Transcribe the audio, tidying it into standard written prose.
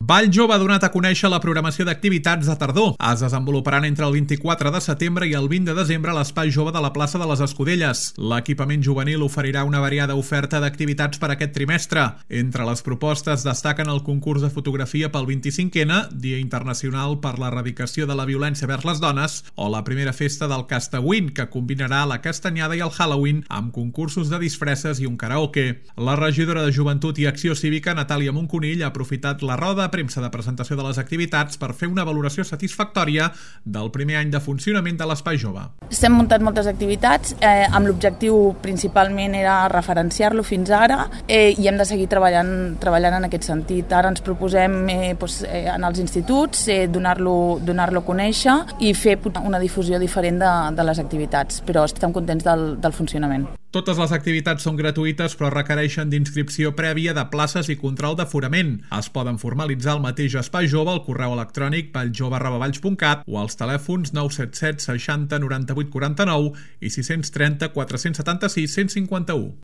Vall Jove ha donat a conèixer la programació d'activitats de tardor. Es desenvoluparan entre el 24 de setembre i el 20 de desembre a l'Espai Jove de la plaça de les Escudelles. L'equipament juvenil oferirà una variada oferta d'activitats per aquest trimestre. Entre les propostes destaquen el concurs de fotografia pel 25N, Dia Internacional per l'Erradicació de la Violència vers les Dones, o la primera festa del Castawin, que combinarà la castanyada i el Halloween amb concursos de disfresses i un karaoke. La regidora de Joventut i Acció Cívica, Natàlia Monconill, ha aprofitat la roda de premsa de presentació de les activitats per fer una valoració satisfactòria del primer any de funcionament de l'Espai Jove. S'han muntat moltes activitats, amb l'objectiu principalment era referenciar-lo fins ara i hem de seguir treballant en aquest sentit. Ara ens proposem en els instituts donar-lo a conèixer i fer una difusió diferent de les activitats, però estem contents del funcionament. Totes les activitats són gratuïtes però requereixen d'inscripció prèvia de places i control d'aforament. Es poden formalitzar al mateix Espai Jove al correu electrònic valljove@valls.cat o als telèfons 977 60 98 49 i 630 476 151.